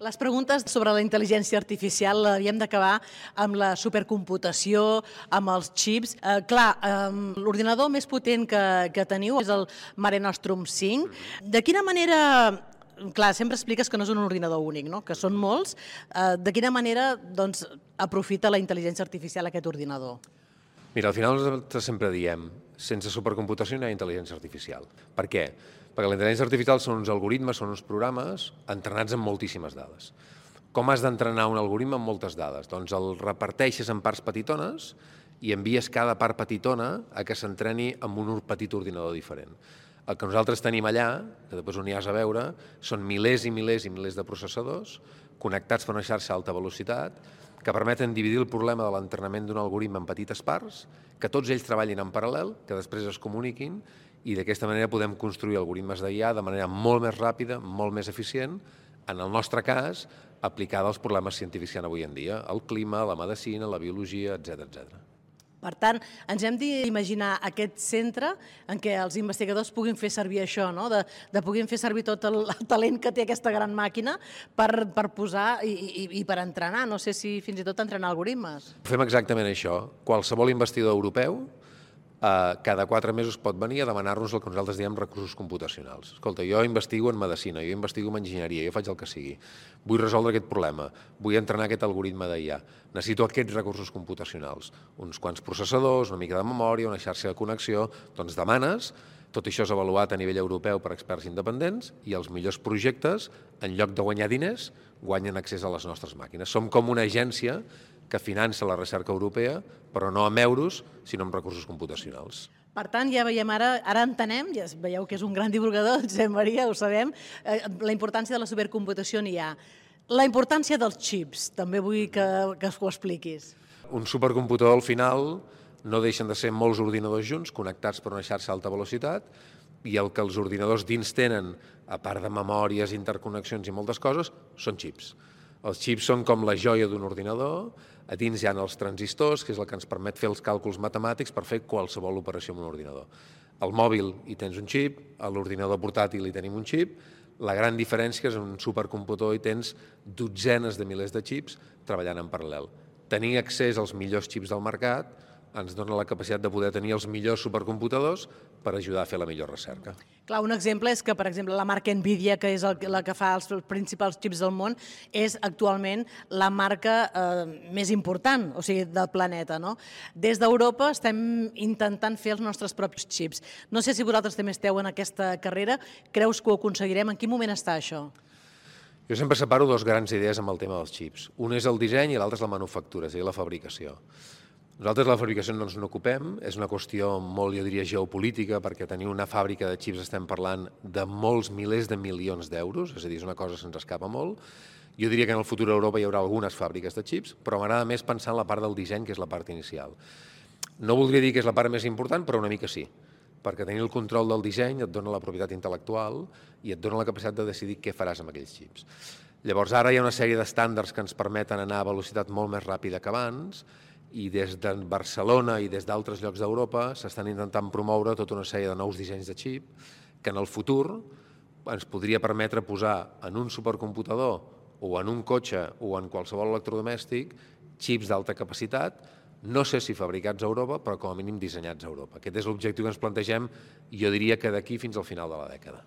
Les preguntes sobre la intel·ligència artificial havíem d'acabar amb la supercomputació, amb els xips. L'ordinador més potent que teniu és el Mare Nostrum 5. De quina manera... Clar, sempre expliques que no és un ordinador únic, no? Que són molts. De quina manera doncs, aprofita la intel·ligència artificial aquest ordinador? Mira, al final nosaltres sempre diem sense supercomputació no hi ha intel·ligència artificial. Per què? Perquè la intel·ligència artificial són uns algoritmes, són uns programes entrenats amb moltíssimes dades. Com has d'entrenar un algoritme amb moltes dades? Doncs el reparteixes en parts petitones i envies cada part petitona a que s'entreni amb un petit ordinador diferent. El que nosaltres tenim allà, que després ho aniràs a veure, són milers i milers i milers de processadors connectats per una xarxa a alta velocitat que permeten dividir el problema de l'entrenament d'un algoritme en petites parts, que tots ells treballin en paral·lel, que després es comuniquin i d'aquesta manera podem construir algoritmes d'IA de manera molt més ràpida, molt més eficient, en el nostre cas, aplicada als problemes científics que hi ha avui en dia, el clima, la medicina, la biologia, etc. Per tant, ens hem d'imaginar aquest centre en què els investigadors puguin fer servir això, no? de puguin fer servir tot el talent que té aquesta gran màquina per posar i per entrenar, no sé si fins i tot entrenar algoritmes. Fem exactament això. Qualsevol investigador europeu cada 4 mesos pot venir a demanar-nos el que nosaltres diem recursos computacionals. Escolta, jo investigo en medicina, jo investigo en enginyeria, jo faig el que sigui. Vull resoldre aquest problema, vull entrenar aquest algoritme d'IA. Necessito aquests recursos computacionals, uns quants processadors, una mica de memòria, una xarxa de connexió. Doncs demanes, tot això és avaluat a nivell europeu per experts independents i els millors projectes, en lloc de guanyar diners, guanyen accés a les nostres màquines. Som com una agència que finança la recerca europea, però no amb euros, sinó amb recursos computacionals. Per tant, ja veiem ara entenem, ja veieu que és un gran divulgador, Josep Maria, ho sabem, la importància de la supercomputació en IA. La importància dels xips, també vull que ho expliquis. Un supercomputador al final no deixen de ser molts ordinadors junts, connectats per una xarxa a alta velocitat, i el que els ordinadors dins tenen, a part de memòries, interconnexions i moltes coses, són xips. Els xips són com la joia d'un ordinador, a dins hi ha els transistors, que és el que ens permet fer els càlculs matemàtics per fer qualsevol operació amb un ordinador. Al mòbil hi tens un xip, a l'ordinador portàtil hi tenim un xip, la gran diferència és que en un supercomputador hi tens dotzenes de milers de xips treballant en paral·lel. Tenir accés als millors xips del mercat ens dona la capacitat de poder tenir els millors supercomputadors per ajudar a fer la millor recerca. Clar, un exemple és que, per exemple, la marca Nvidia, que és la que fa els principals xips del món, és actualment la marca més important, o sigui, del planeta, no? Des d'Europa estem intentant fer els nostres propis xips. No sé si vosaltres també esteu en aquesta carrera, creus que ho aconseguirem? En quin moment està això? Jo sempre separo dues grans idees amb el tema dels xips. Un és el disseny i l'altre és la manufactura, és a dir, la fabricació. Nosaltres la fabricació no ens n'ocupem, és una qüestió molt, jo diria, geopolítica, perquè tenir una fàbrica de xips estem parlant de molts milers de milions d'euros, és a dir, és una cosa que se'ns escapa molt. Jo diria que en el futur a Europa hi haurà algunes fàbriques de xips, però m'agrada més pensar en la part del disseny, que és la part inicial. No voldria dir que és la part més important, però una mica sí, perquè tenir el control del disseny et dona la propietat intel·lectual i et dona la capacitat de decidir què faràs amb aquells xips. Llavors, ara hi ha una sèrie d'estàndards que ens permeten anar a velocitat molt més ràpida que abans, i des de Barcelona i des d'altres llocs d'Europa s'estan intentant promoure tota una sèrie de nous dissenys de xip que en el futur ens podria permetre posar en un supercomputador o en un cotxe o en qualsevol electrodomèstic xips d'alta capacitat, no sé si fabricats a Europa, però com a mínim dissenyats a Europa. Aquest és l'objectiu que ens plantegem, jo diria que d'aquí fins al final de la dècada.